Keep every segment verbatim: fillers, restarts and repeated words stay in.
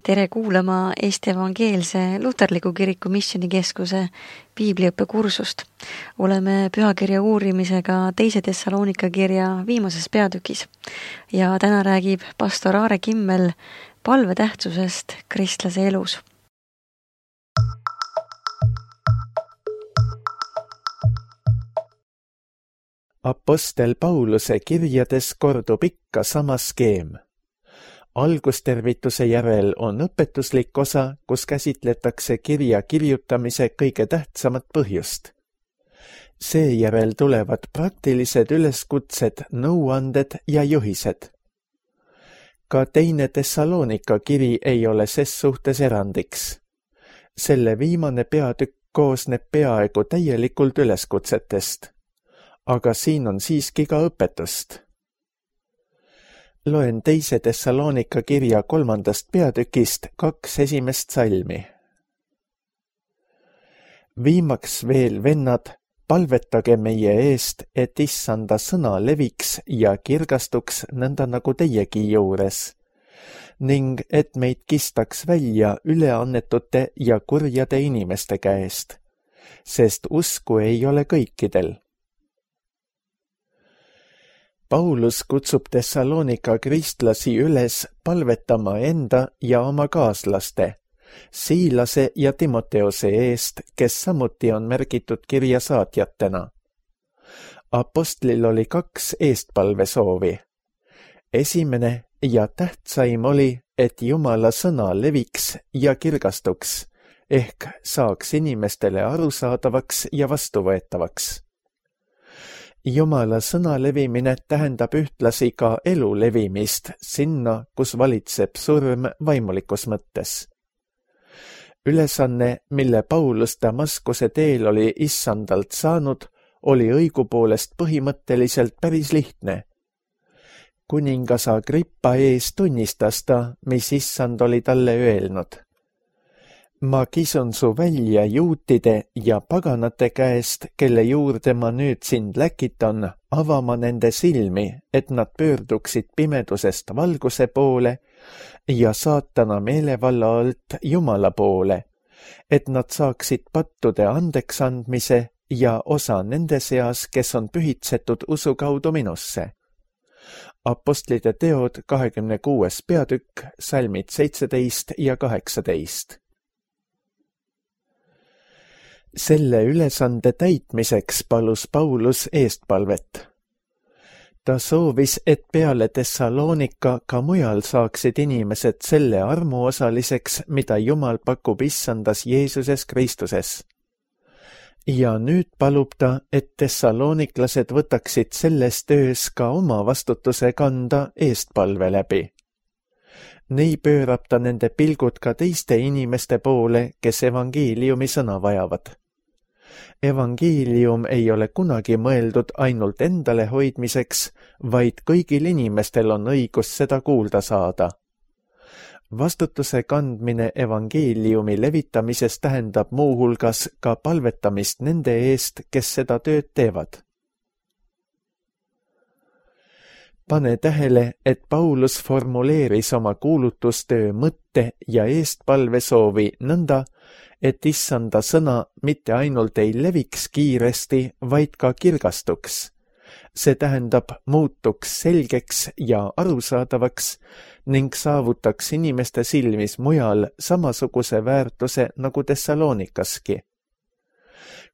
Tere kuulama Eesti Evangeelse Luterliku Kiriku Missioonikeskuse piibliõppekursust. Oleme pühakirja uurimisega teise Thessalonika kirja viimases peatükis ja täna räägib pastor Aare Kimmel palve tähtsusest kristlase elus. Apostel Pauluse kirjades kordub ikka sama skeem. Algustervituse järel on õpetuslik osa, kus käsitletakse kirja kirjutamise kõige tähtsamat põhjust. Seejärel tulevad praktilised üleskutsed, nõuanded ja juhised. Ka teine Thessalonika kiri ei ole ses suhtes erandiks. Selle viimane peatükk koosneb peaaegu täielikult üleskutsetest, aga siin on siiski ka õpetust. Loen teise Thessalonika kirja kolmandast peatükist kaks esimest salmi. Viimaks veel, vennad, palvetage meie eest, et issanda sõna leviks ja kirgastuks nõnda nagu teiegi juures, ning et meid kistaks välja üleannetute ja kurjade inimeste käest, sest usku ei ole kõikidel. Paulus kutsub Thessalonika kristlasi üles palvetama enda ja oma kaaslaste, Siilase ja Timoteose eest, kes samuti on märgitud kirja saatjatena. Apostlil oli kaks eestpalvesoovi. Esimene ja tähtsaim oli, et Jumala sõna leviks ja kirgastuks, ehk saaks inimestele arusaadavaks ja vastuvõetavaks. Jumala sõna levimine tähendab ühtlasi ka elu levimist sinna, kus valitseb surm vaimulikus mõttes. Ülesanne, mille Paulus Damaskuse teel oli issandalt saanud, oli õigupoolest põhimõtteliselt päris lihtne. Kuningas Agrippa ees tunnistas ta, mis issand oli talle öelnud. Ma kisun su välja juutide ja paganate käest, kelle juurde ma nüüd sind läkitan, avama nende silmi, et nad pöörduksid pimedusest valguse poole ja saatana meelevalla alt Jumala poole, et nad saaksid pattude andeks andmise ja osa nende seas, kes on pühitsetud usu kaudu minusse. Apostlite teod kahekümne kuues peatükk, salmid seitseteist ja kaheksateist. Selle ülesande täitmiseks palus Paulus eestpalvet. Ta soovis, et peale Thessalonika ka mujal saaksid inimesed selle armuosaliseks, mida Jumal pakub issandas Jeesuses Kristuses. Ja nüüd palub ta, et thessaloniklased võtaksid selles töös ka oma vastutuse kanda eestpalve läbi. Nii pöörab ta nende pilgud ka teiste inimeste poole, kes evangeeliumi sõna vajavad. Evangeelium ei ole kunagi mõeldud ainult endale hoidmiseks, vaid kõigil inimestel on õigus seda kuulda saada. Vastutuse kandmine evangeeliumi levitamises tähendab muuhulgas ka palvetamist nende eest, kes seda tööd teevad. Pane tähele, et Paulus formuleeris oma kuulutustöö mõtte ja eestpalvesoovi nõnda, et issanda sõna mitte ainult ei leviks kiiresti, vaid ka kirgastuks. See tähendab muutuks selgeks ja arusaadavaks ning saavutaks inimeste silmis mujal samasuguse väärtuse nagu Thessalonikaski.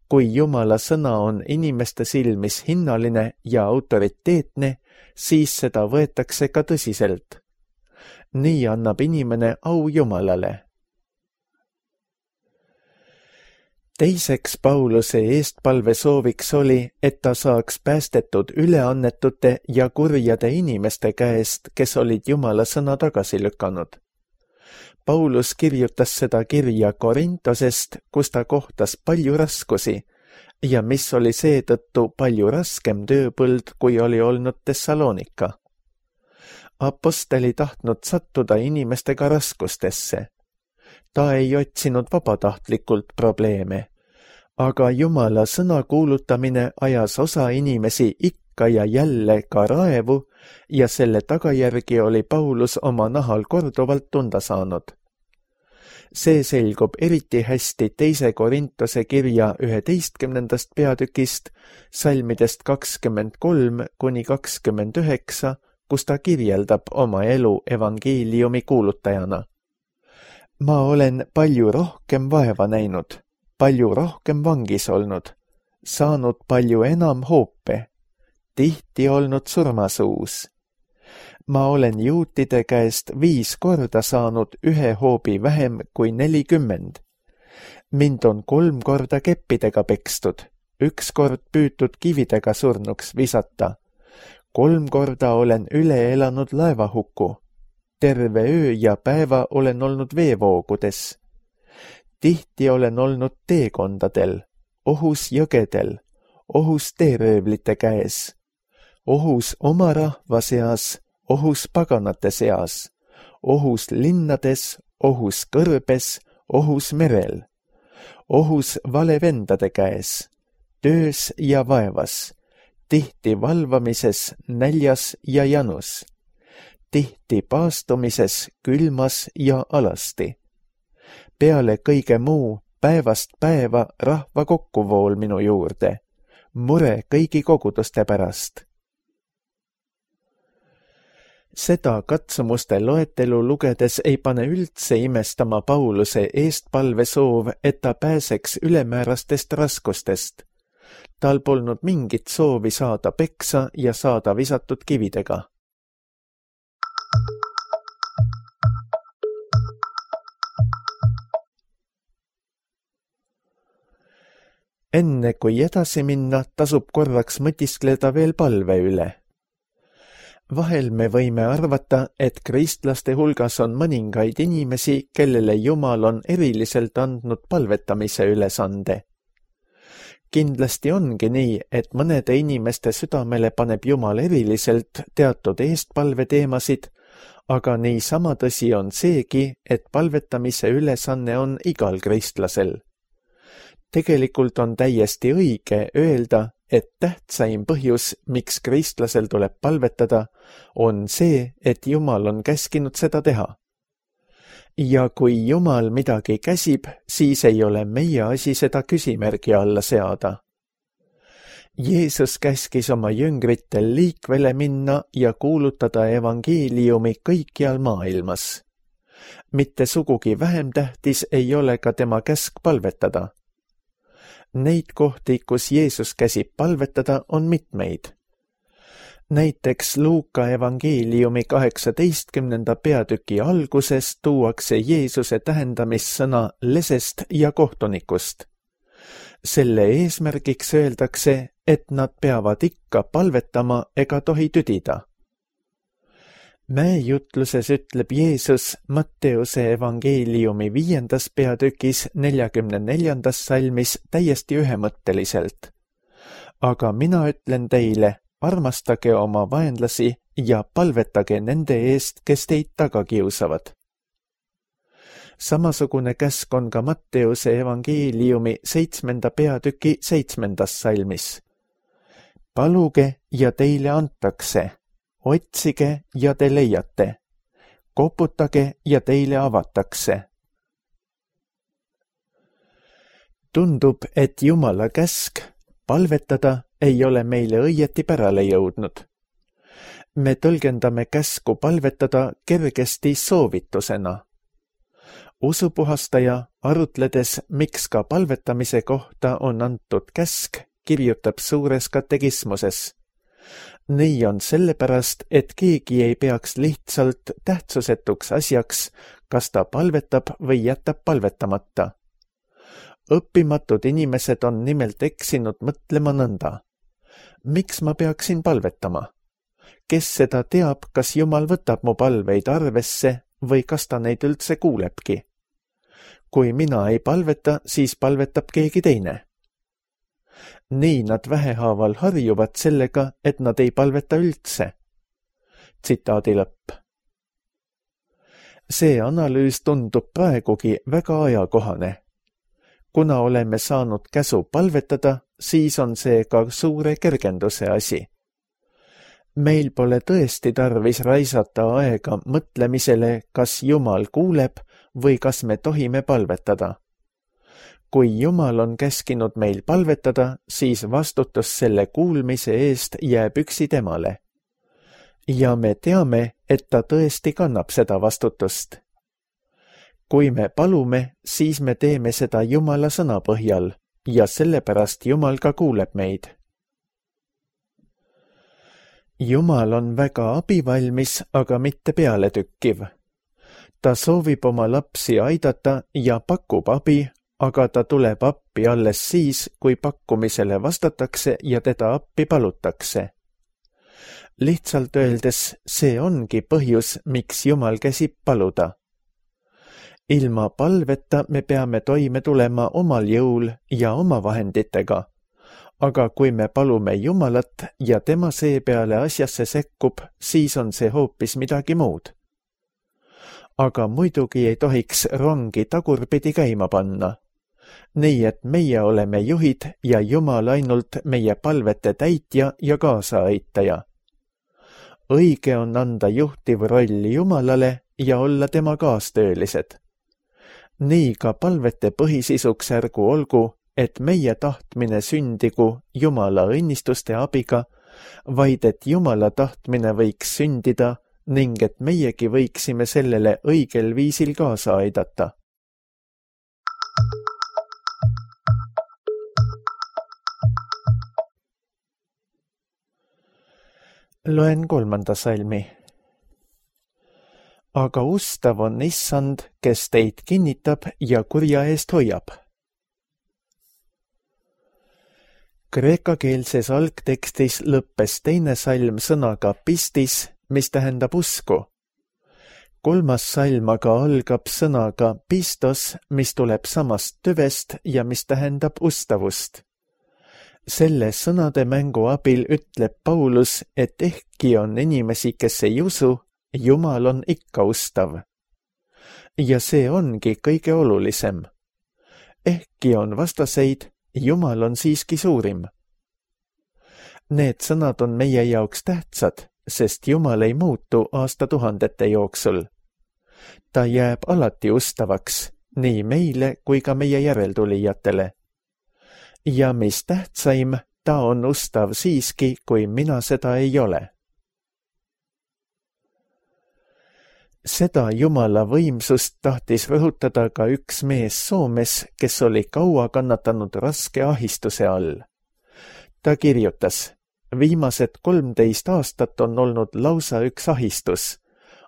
Kui Jumala sõna on inimeste silmis hinnaline ja autoriteetne, siis seda võetakse ka tõsiselt. Nii annab inimene au Jumalale. Teiseks Pauluse eestpalve sooviks oli, et ta saaks päästetud üleannetute ja kurjade inimeste käest, kes olid Jumala sõna tagasi lükanud. Paulus kirjutas seda kirja Korintosest, kus ta kohtas palju raskusi ja mis oli seetõttu palju raskem tööpõld, kui oli olnud Thessalonika. Apostel ei tahtnud sattuda inimestega raskustesse. Ta ei otsinud vabatahtlikult probleeme, aga Jumala sõna kuulutamine ajas osa inimesi ikka ja jälle ka raevu ja selle tagajärgi oli Paulus oma nahal korduvalt tunda saanud. See selgub eriti hästi teise Korintuse kirja üheteistkümnendast peatükist, salmidest kakskümmend kolm kuni kakskümmend üheksa, kus ta kirjeldab oma elu evangeeliumi kuulutajana. Ma olen palju rohkem vaeva näinud, palju rohkem vangis olnud, saanud palju enam hoope, tihti olnud surmasuus. Ma olen juutide käest viis korda saanud ühe hoobi vähem kui nelikümmend. Mind on kolm korda keppidega pekstud, üks kord püütud kividega surnuks visata. Kolm korda olen üle elanud laevahuku. Terve öö ja päeva olen olnud veevoogudes. Tihti olen olnud teekondadel, ohus jõgedel, ohus teeröövlite käes, ohus oma rahva seas, ohus paganate seas, ohus linnades, ohus kõrbes, ohus merel, ohus valevendade käes, töös ja vaevas, tihti valvamises, näljas ja janus, tihti paastumises, külmas ja alasti. Peale kõige muu päevast päeva rahva kokkuvool minu juurde, mure kõigi koguduste pärast. Seda katsumuste loetelu lugedes ei pane üldse imestama Pauluse eestpalve soov, et ta pääseks ülemäärastest raskustest. Tal polnud mingit soovi saada peksa ja saada visatud kividega. Enne kui edasi minna, tasub korraks mõtiskleda veel palve üle. Vahel me võime arvata, et kristlaste hulgas on mõningaid inimesi, kellele Jumal on eriliselt andnud palvetamise ülesande. Kindlasti ongi nii, et mõnede inimeste südamele paneb Jumal eriliselt teatud eestpalve teemasid, aga niisama tõsi on seegi, et palvetamise ülesanne on igal kristlasel. Tegelikult on täiesti õige öelda, et tähtsaim põhjus, miks kristlasel tuleb palvetada, on see, et Jumal on käskinud seda teha. Ja kui Jumal midagi käsib, siis ei ole meie asi seda küsimärgi alla seada. Jeesus käskis oma jüngritel liikvele minna ja kuulutada evangeeliumi kõikjal maailmas. Mitte sugugi vähem tähtis ei ole ka tema käsk palvetada. Neid kohti, kus Jeesus käsib palvetada, on mitmeid. Näiteks Luuka evangeeliumi kaheksateistkümnenda peatüki alguses tuuakse Jeesuse tähendamissõna lesest ja kohtunikust. Selle eesmärgiks öeldakse, et nad peavad ikka palvetama ega tohi tüdida. Mäejutluses ütleb Jeesus Matteuse evangeeliumi viiendas peatükis neljakümne neljandas salmis täiesti ühemõtteliselt. Aga mina ütlen teile, armastage oma vaenlasi ja palvetage nende eest, kes teid taga kiusavad. Samasugune käsk on ka Matteuse evangeeliumi seitsmenda peatüki seitsmendas salmis. Paluge ja teile antakse. Otsige ja te leiate. Koputage ja teile avatakse. Tundub, et Jumala käsk palvetada ei ole meile õieti pärale jõudnud. Me tõlgendame käsku palvetada kergesti soovitusena. Usupuhastaja, arutledes, miks ka palvetamise kohta on antud käsk, kirjutab suures katekismuses. Nii on sellepärast, et keegi ei peaks lihtsalt tähtsusetuks asjaks, kas ta palvetab või jätab palvetamata. Õppimatud inimesed on nimelt eksinud mõtlema nõnda. Miks ma peaksin palvetama? Kes seda teab, kas Jumal võtab mu palveid arvesse või kas ta neid üldse kuulebki? Kui mina ei palveta, siis palvetab keegi teine. Nii nad vähehaaval harjuvad sellega, et nad ei palveta üldse. Tsitaadi lõpp. See analüüs tundub praegugi väga ajakohane. Kuna oleme saanud käsu palvetada, siis on see ka suure kergenduse asi. Meil pole tõesti tarvis raisata aega mõtlemisele, kas Jumal kuuleb või kas me tohime palvetada. Kui Jumal on käskinud meil palvetada, siis vastutus selle kuulmise eest jääb üksi temale. Ja me teame, et ta tõesti kannab seda vastutust. Kui me palume, siis me teeme seda Jumala sõna põhjal ja sellepärast Jumal ka kuuleb meid. Jumal on väga abivalmis, aga mitte pealetükkiv. Ta soovib oma lapsi aidata ja pakub abi, aga ta tuleb appi alles siis, kui pakkumisele vastatakse ja teda appi palutakse. Lihtsalt öeldes, see ongi põhjus, miks Jumal käsib paluda. Ilma palveta me peame toime tulema omal jõul ja oma vahenditega, aga kui me palume Jumalat ja tema seepeale asjasse sekkub, siis on see hoopis midagi muud. Aga muidugi ei tohiks rongi tagurpidi käima panna. Nii et meie oleme juhid ja Jumal ainult meie palvete täitja ja kaasaaitaja. Õige on anda juhtiv roll Jumalale ja olla tema kaastöölised. Nii ka palvete põhisisuks ärgu olgu, et meie tahtmine sündigu Jumala õnnistuste abiga, vaid et Jumala tahtmine võiks sündida ning et meiegi võiksime sellele õigel viisil kaasa aidata. Loen kolmanda salmi. Aga ustav on Issand, kes teid kinnitab ja kurja eest hoiab. Kreekakeelses algtekstis lõppes teine salm sõnaga pistis, mis tähendab usku. Kolmas salm aga algab sõnaga pistos, mis tuleb samast tüvest ja mis tähendab ustavust. Selle sõnade mängu abil ütleb Paulus, et ehkki on inimesi, kes ei usu, Jumal on ikka ustav. Ja see ongi kõige olulisem. Ehkki on vastaseid, Jumal on siiski suurim. Need sõnad on meie jaoks tähtsad, sest Jumal ei muutu aastatuhandete jooksul. Ta jääb alati ustavaks, nii meile kui ka meie järeltulijatele. Ja mis tähtsaim, ta on ustav siiski, kui mina seda ei ole. Seda Jumala võimsust tahtis rõhutada ka üks mees Soomes, kes oli kaua kannatanud raske ahistuse all. Ta kirjutas, viimased kolmteist aastat on olnud lausa üks ahistus,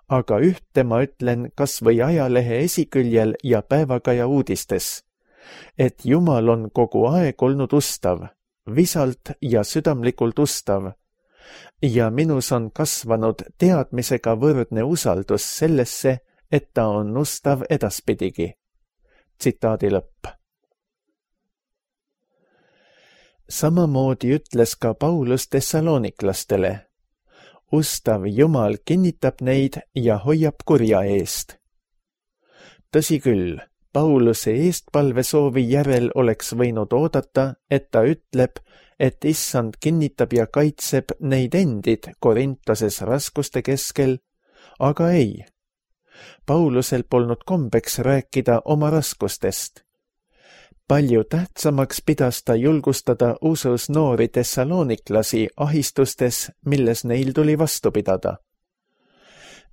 aga ühte ma ütlen kas või ajalehe esiküljel ja päevakaja uudistes, et Jumal on kogu aeg olnud ustav, visalt ja südamlikult ustav, ja minus on kasvanud teadmisega võrdne usaldus sellesse, et ta on ustav edaspidigi. Tsitaadi lõpp. Samamoodi ütles ka Paulus tessaloniklastele. Ustav Jumal kinnitab neid ja hoiab kurja eest. Tõsi küll, Pauluse eestpalvesoovi järel oleks võinud oodata, et ta ütleb, et Issand kinnitab ja kaitseb neid endid Korintoses raskuste keskel, aga ei. Paulusel polnud kombeks rääkida oma raskustest. Palju tähtsamaks pidas ta julgustada usus noori tessaloniklasi ahistustes, milles neil tuli vastu pidada.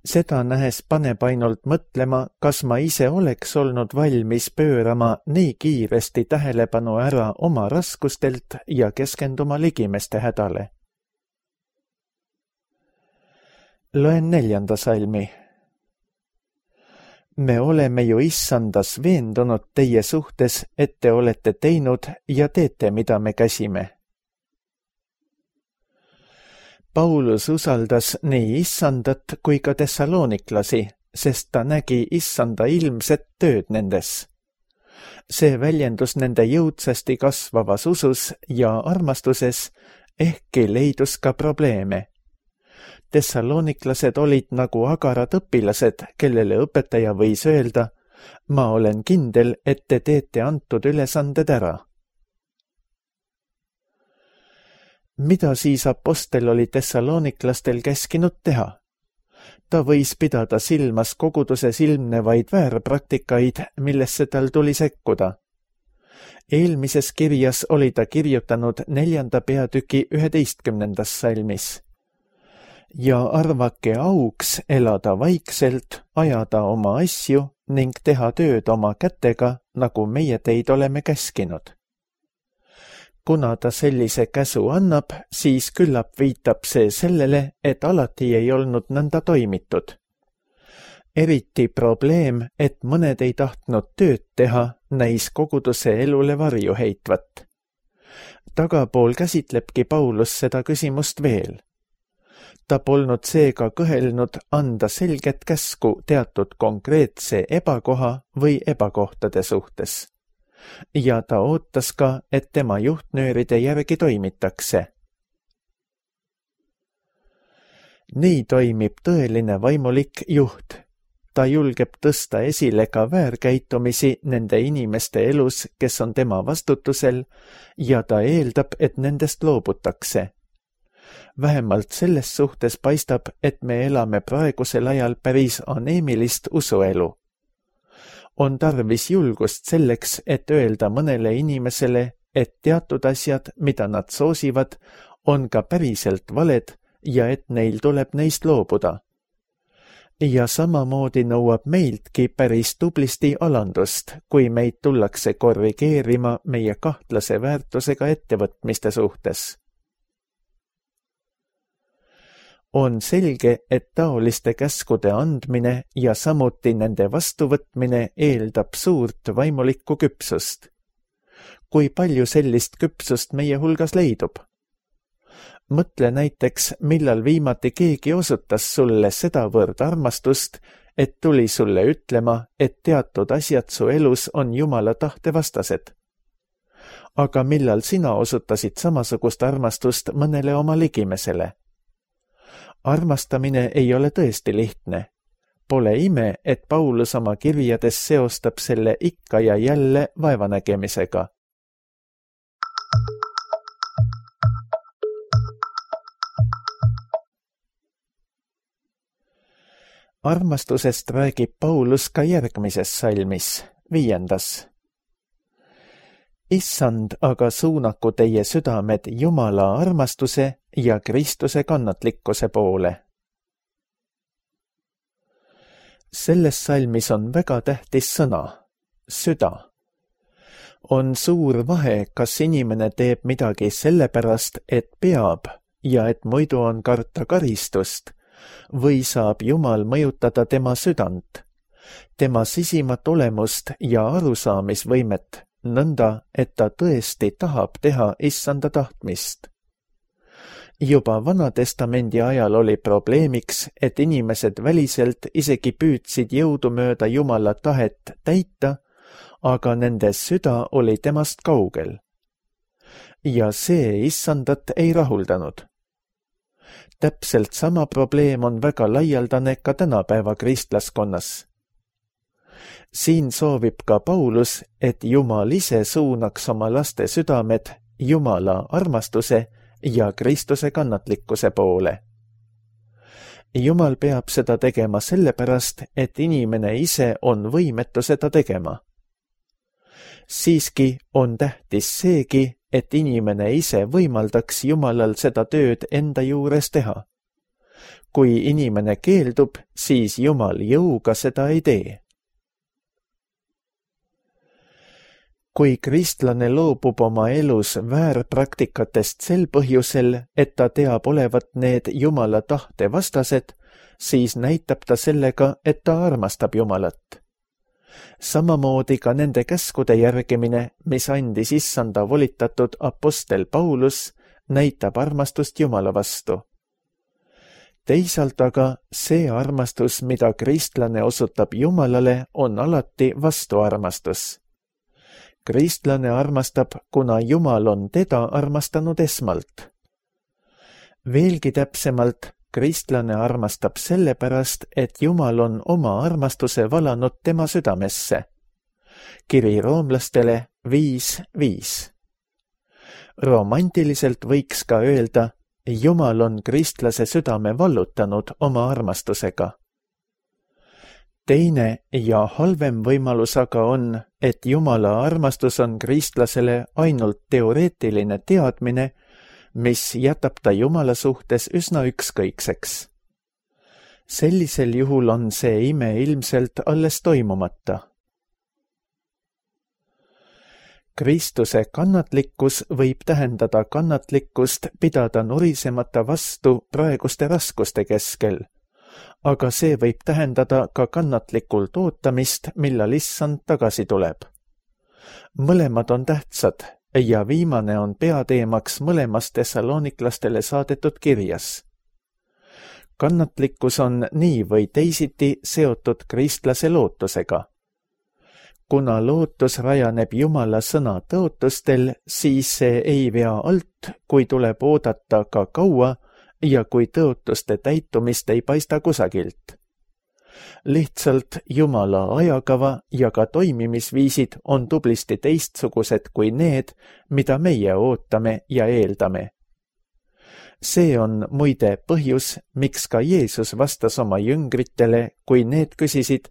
Seda nähes paneb ainult mõtlema, kas ma ise oleks olnud valmis pöörama nii kiiresti tähelepanu ära oma raskustelt ja keskenduma ligimeste hädale. Loen neljanda salmi. Me oleme ju Issandas veendunud teie suhtes, et te olete teinud ja teete, mida me käsime. Paulus usaldas nii Issandat kui ka tessaloniklasi, sest ta nägi Issanda ilmset tööd nendes. See väljendus nende jõudsasti kasvavas usus ja armastuses, ehkki leidus ka probleeme. Tessaloniklased olid nagu agarad õpilased, kellele õpetaja võis öelda, ma olen kindel, et te teete antud ülesanded ära. Mida siis apostel oli tessaloniklastel käskinud teha? ta võis pidada silmas koguduses ilmnevaid väärpraktikaid, millesse tal tuli sekkuda. Eelmises kirjas oli ta kirjutanud neljanda peatüki üheteistkümnendas salmis. Ja arvake auks elada vaikselt, ajada oma asju ning teha tööd oma kätega, nagu meie teid oleme käskinud. Kuna ta sellise käsu annab, siis küllap viitab see sellele, et alati ei olnud nõnda toimitud. Eriti probleem, et mõned ei tahtnud tööd teha, näis koguduse elule varju heitvat. Tagapool käsitlebki Paulus seda küsimust veel. Ta polnud seega kõhelnud anda selget käsku teatud konkreetse ebakoha või ebakohtade suhtes. Ja ta ootas ka, et tema juhtnööride järgi toimitakse. Nii toimib tõeline vaimulik juht. Ta julgeb tõsta esile ka väärkäitumisi nende inimeste elus, kes on tema vastutusel, ja ta eeldab, et nendest loobutakse. Vähemalt selles suhtes paistab, et me elame praegusel ajal päris aneemilist usuelu. On tarvis julgust selleks, et öelda mõnele inimesele, et teatud asjad, mida nad soosivad, on ka päriselt valed ja et neil tuleb neist loobuda. Ja samamoodi nõuab meiltki päris tublisti alandust, kui meid tullakse korrigeerima meie kahtlase väärtusega ettevõtmiste suhtes. On selge, et taoliste käskude andmine ja samuti nende vastuvõtmine eeldab suurt vaimulikku küpsust. Kui palju sellist küpsust meie hulgas leidub? Mõtle näiteks, millal viimati keegi osutas sulle sedavõrd armastust, et tuli sulle ütlema, et teatud asjad su elus on Jumala tahte vastased. Aga millal sina osutasid samasugust armastust mõnele oma ligimesele? Armastamine ei ole tõesti lihtne. Pole ime, et Paulus oma kirjades seostab selle ikka ja jälle vaevanägemisega. Armastusest räägib Paulus ka järgmises salmis, viiendas. Issand aga suunaku teie südamed Jumala armastuse ja Kristuse kannatlikkuse poole. Selles salmis on väga tähtis sõna, süda. On suur vahe, kas inimene teeb midagi sellepärast, et peab ja et muidu on karta karistust, või saab Jumal mõjutada tema südant, tema sisimat olemust ja arusaamisvõimet, nõnda, et ta tõesti tahab teha issanda tahtmist. Juba Vana-testamendi ajal oli probleemiks, et inimesed väliselt isegi püüdsid jõudumööda Jumala tahet täita, aga nende süda oli temast kaugel. Ja see issandat ei rahuldanud. Täpselt sama probleem on väga laialdane ka tänapäeva kristlaskonnas. Siin soovib ka Paulus, et Jumal ise suunaks oma laste südamed Jumala armastuse ja Kristuse kannatlikkuse poole. Jumal peab seda tegema sellepärast, et inimene ise on võimetu seda tegema. Siiski on tähtis seegi, et inimene ise võimaldaks Jumalal seda tööd enda juures teha. Kui inimene keeldub, siis Jumal jõuga seda ei tee. Kui kristlane loobub oma elus väärpraktikatest sel põhjusel, et ta teab olevat need Jumala tahte vastased, siis näitab ta sellega, et ta armastab Jumalat. Samamoodi ka nende käskude järgimine, mis andis issanda volitatud apostel Paulus, näitab armastust Jumala vastu. Teisalt aga see armastus, mida kristlane osutab Jumalale, on alati vastuarmastus. Kristlane armastab, kuna Jumal on teda armastanud esmalt. Veelgi täpsemalt, kristlane armastab sellepärast, et Jumal on oma armastuse valanud tema südamesse. Kiri roomlastele viis viis. Romantiliselt võiks ka öelda, Jumal on kristlase südame vallutanud oma armastusega. Teine ja halvem võimalus aga on, et Jumala armastus on kristlasele ainult teoreetiline teadmine, mis jätab ta Jumala suhtes üsna ükskõikseks. Sellisel juhul on see ime ilmselt alles toimumata. Kristuse kannatlikkus võib tähendada kannatlikkust pidada nurisemata vastu praeguste raskuste keskel, aga see võib tähendada ka kannatlikult ootamist, millal issand tagasi tuleb. Mõlemad on tähtsad ja viimane on peateemaks mõlemas tessaloniklastele saadetud kirjas. Kannatlikkus on nii või teisiti seotud kristlase lootusega. Kuna lootus rajaneb Jumala sõna tõotustel, siis see ei vea alt, kui tuleb oodata ka kaua ja kui tõotuste täitumist ei paista kusagilt. Lihtsalt Jumala ajakava ja ka toimimisviisid on tublisti teistsugused kui need, mida meie ootame ja eeldame. See on muide põhjus, miks ka Jeesus vastas oma jüngritele, kui need küsisid,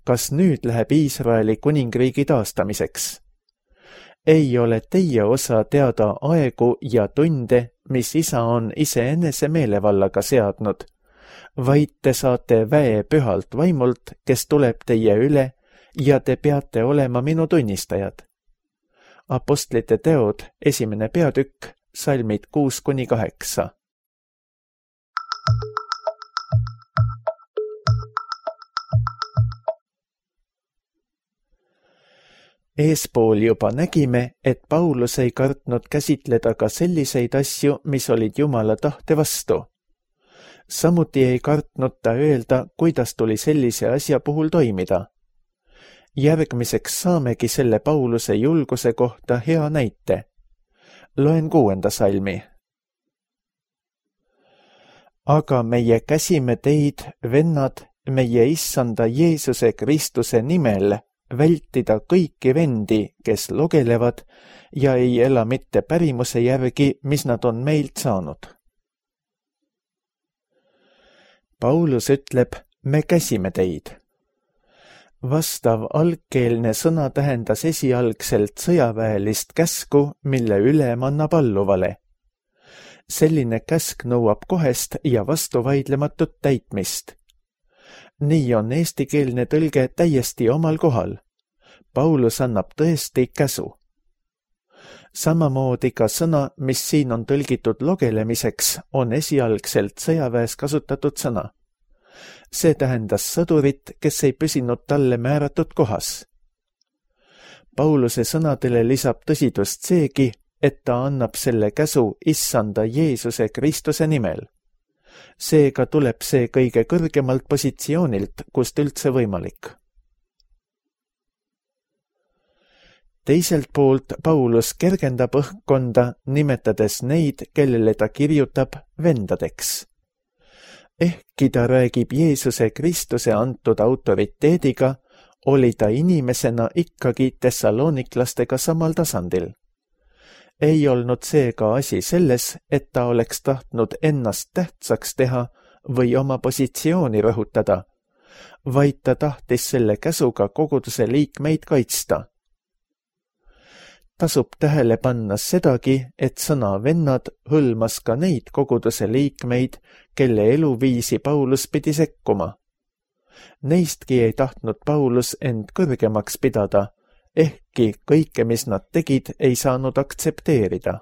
kas nüüd läheb Iisraeli kuningriigi taastamiseks. Ei ole teie osa teada aegu ja tunde, mis isa on iseenese meelevallaga seadnud, vaid te saate väe pühalt vaimult, kes tuleb teie üle ja te peate olema minu tunnistajad. Apostlite teod, esimene peatükk, salmid kuus kuni kaheksa. Eespool juba nägime, et Paulus ei kartnud käsitleda ka selliseid asju, mis olid Jumala tahte vastu. Samuti ei kartnud ta öelda, kuidas tuli sellise asja puhul toimida. Järgmiseks saamegi selle Pauluse julguse kohta hea näite. Loen kuuenda salmi. Aga meie käsime teid, vennad, meie issanda Jeesuse Kristuse nimel, vältida kõiki vendi, kes logelevad ja ei ela mitte pärimuse järgi, mis nad on meilt saanud. Paulus ütleb, me käsime teid. Vastav algkeelne sõna tähendas esialgselt sõjaväelist käsku, mille ülem annab alluvale. Selline käsk nõuab kohest ja vastuvaidlematut täitmist. Nii on eestikeelne tõlge täiesti omal kohal. Paulus annab tõesti käsu. Samamoodi ka sõna, mis siin on tõlgitud logelemiseks, on esialgselt sõjaväes kasutatud sõna. See tähendas sõdurit, kes ei püsinud talle määratud kohas. Pauluse sõnadele lisab tõsidust seegi, et ta annab selle käsu issanda Jeesuse Kristuse nimel. Seega tuleb see kõige kõrgemalt positsioonilt, kust üldse võimalik. Teiselt poolt Paulus kergendab õhkkonda, nimetades neid, kellele ta kirjutab vendadeks. Ehkki ta räägib Jeesuse Kristuse antud autoriteediga, oli ta inimesena ikkagi tessaloniklastega samal tasandil. Ei olnud seega asi selles, et ta oleks tahtnud ennast tähtsaks teha või oma positsiooni rõhutada, vaid ta tahtis selle käsuga koguduse liikmeid kaitsta. Tasub tähele panna sedagi, et sõna vennad hõlmas ka neid koguduse liikmeid, kelle eluviisi Paulus pidi sekkuma. Neistki ei tahtnud Paulus end kõrgemaks pidada, ehkki kõike, mis nad tegid, ei saanud aktsepteerida.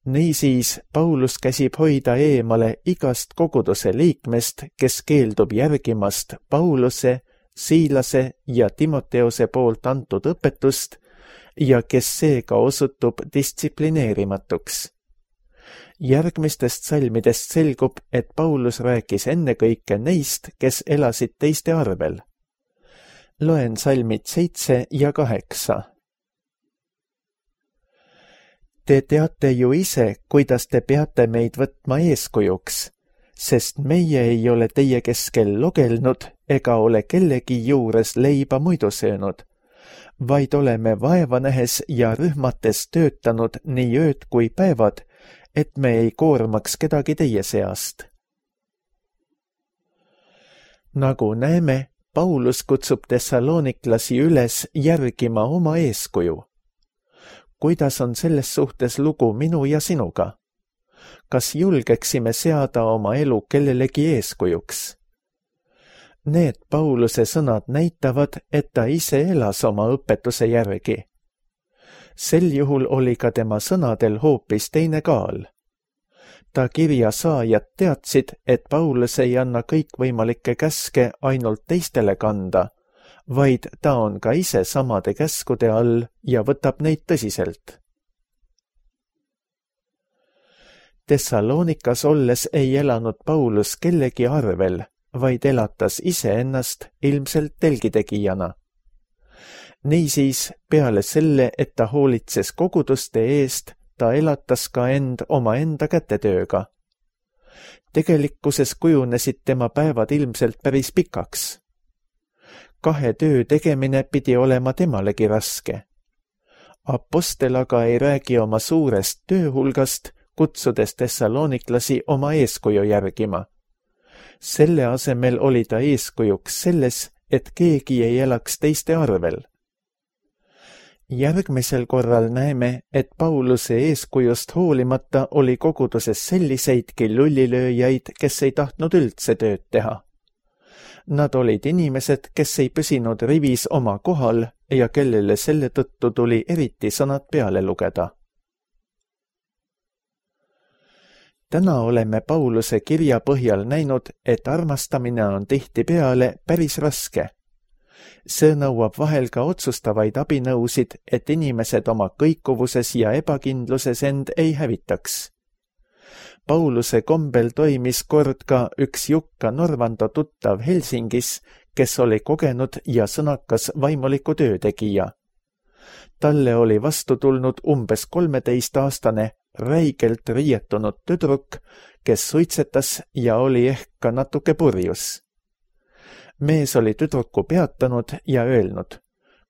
Niisiis Paulus käsib hoida eemale igast koguduse liikmest, kes keeldub järgimast Pauluse, Siilase ja Timoteose poolt antud õpetust ja kes seega osutub distsiplineerimatuks. Järgmistest salmidest selgub, et Paulus rääkis ennekõike neist, kes elasid teiste arvel. Loen salmid seitse ja kaheksa. Te teate ju ise, kuidas te peate meid võtma eeskujuks, sest meie ei ole teie keskel logelnud ega ole kellegi juures leiba muidu söönud, vaid oleme vaeva nähes ja rühmates töötanud nii ööd kui päevad, et me ei koormaks kedagi teie seast. Nagu näeme, Paulus kutsub tessalooniklasi üles järgima oma eeskuju. Kuidas on selles suhtes lugu minu ja sinuga? Kas julgeksime seada oma elu kellelegi eeskujuks? Need Pauluse sõnad näitavad, et ta ise elas oma õpetuse järgi. Sel juhul oli ka tema sõnadel hoopis teine kaal. Ta kirja saajad teadsid, et Paulus ei anna kõikvõimalikke käske ainult teistele kanda, vaid ta on ka ise samade käskude all ja võtab neid tõsiselt. Thessaloonikas olles ei elanud Paulus kellegi arvel, vaid elatas iseennast ilmselt telgitegijana. Niisiis, peale selle, et ta hoolitses koguduste eest, ta elatas ka end oma enda kätetööga. Tegelikkuses kujunesid tema päevad ilmselt päris pikaks. Kahe töö tegemine pidi olema temalegi raske. Apostel aga ei räägi oma suurest tööhulgast, kutsudes tessalooniklasi oma eeskuju järgima. Selle asemel oli ta eeskujuks selles, et keegi ei elaks teiste arvel. Järgmisel korral näeme, et Pauluse eeskujust hoolimata oli koguduses selliseidki lullilööjaid, kes ei tahtnud üldse tööd teha. Nad olid inimesed, kes ei püsinud rivis oma kohal ja kellele selle tõttu tuli eriti sõnad peale lugeda. Täna oleme Pauluse kirja põhjal näinud, et armastamine on tihtipeale päris raske. See nõuab vahel ka otsustavaid abinõusid, et inimesed oma kõikuvuses ja ebakindluses end ei hävitaks. Pauluse kombel toimis kord ka üks Jukka Norvando tuttav Helsingis, kes oli kogenud ja sõnakas vaimuliku töötegija. Talle oli vastu tulnud umbes kolmeteistaastane räigelt riietunud tüdruk, kes suitsetas ja oli ehk ka natuke purjus. Mees oli tüdruku peatanud ja öelnud,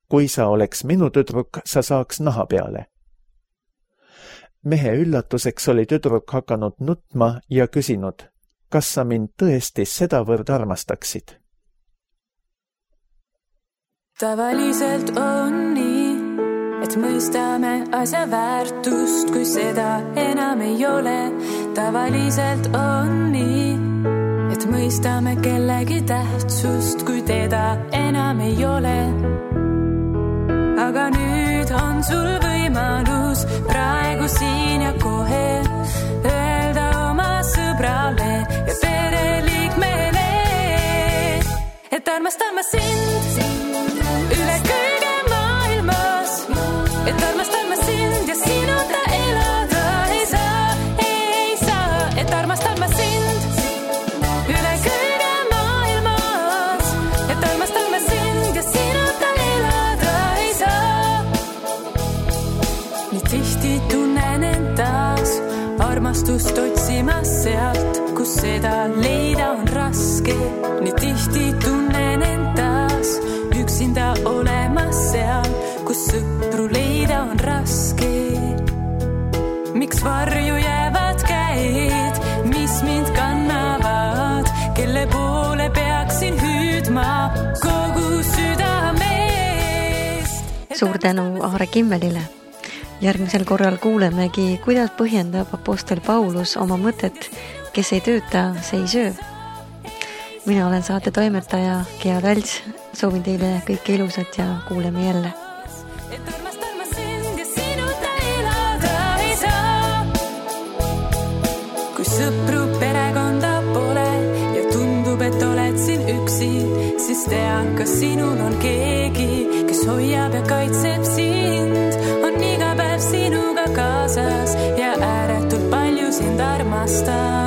kui sa oleks minu tüdruk, sa saaks naha peale. Mehe üllatuseks oli tüdruk hakanud nutma ja küsinud, kas sa mind tõesti sedavõrd armastaksid? Tavaliselt on nii, et mõistame asja väärtust, kui seda enam ei ole. Tavaliselt on nii, et mõistame kellegi tähtsust, kui teda enam ei ole. Aga nüüd on sul võimalus praegu siin ja kohe öelda oma sõbrale ja pereliikmele, et armastan ma sind üle kõige maailmas, et armastan ma sind ja sinuta elada ei saa, ei saa, et armastan ma sind üle kõige maailmas, et armastan ma sind ja sinuta elada ei saa. Nii tihti tunnen end taas armastust otsimas sealt, kus seda leida on raske. Nii tihti tunnen end taas üksinda olemas seal, kus sõpru leida on raske. Miks varju jäävad käed, mis mind kannavad, kelle poole peaksin hüüdma kogu südamest? Suur tänu Aare Kimmelile. Järgmisel korral kuulemegi, kuidas põhjendab apostel Paulus oma mõtet, kes ei tööta, see ei söö. Mina olen saate toimetaja Gea Talts, soovin teile kõike ilusat ja kuuleme jälle. Kui sõpru perekonda pole ja tundub, et oled siin üksi, siis tea, kas sinul on keegi, kes hoiab ja kaitseb sind, on iga päev sinuga kaasas ja ääretult palju sind armastab.